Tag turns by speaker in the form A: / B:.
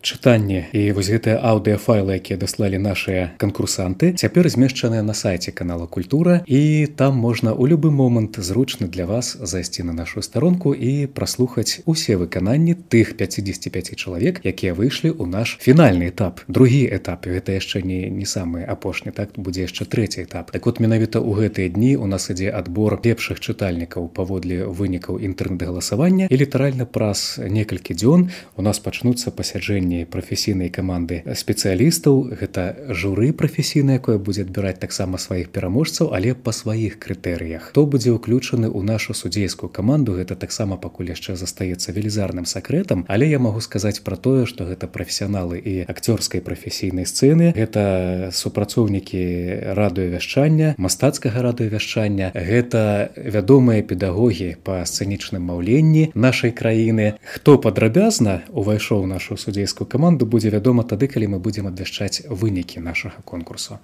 A: чытанне і вось гэтыя аўдыафайлы, якія даслалі нашыя канкурсанты, цяпер змешчаныя на сайце канала Культура, і там можна ў любы момант зручны для вас зайсці на нашу старонку і праслухаць усе выкананні тых 55 чалавек, якія выйшлі ў наш фінальны этап. Другі этап, гэта яшчэ не самы апошні, так, будзе яшчэ трэці этап. Так вот, менавіта ў гэтыя дні у нас ідзе адбор лепшых чытальнікаў паводле вынікаў інтэрнэт-галасавання, і літаральна праз некалькі дзён у нас пачнуцца пасяджэнні прафесійнай каманды спецыялістаў. Гэта журы прафесійнае, якое будзе адбіраць таксама сваіх пераможцаў, але па сваіх крытэрыях. Хто будзе ўключаны ў нашу судзейскую каманду, гэта таксама пакуль яшчэ застаецца велізарным сакрэтам, але я магу сказаць пра тое, што гэта прафесіяналы і акцёрскай прафесійнай сцэны, гэта супрацоўнікі радыёвяшчання, мастацкага радыёвяшчання, гэта вядомыя педагогі па сцэнічным маўленні нашай краіны. Хто падрабязна увайшоў у нашу судзейскую каманду, будзе вядома тады, калі мы будзем абвяшчаць вынікі нашага конкурсу.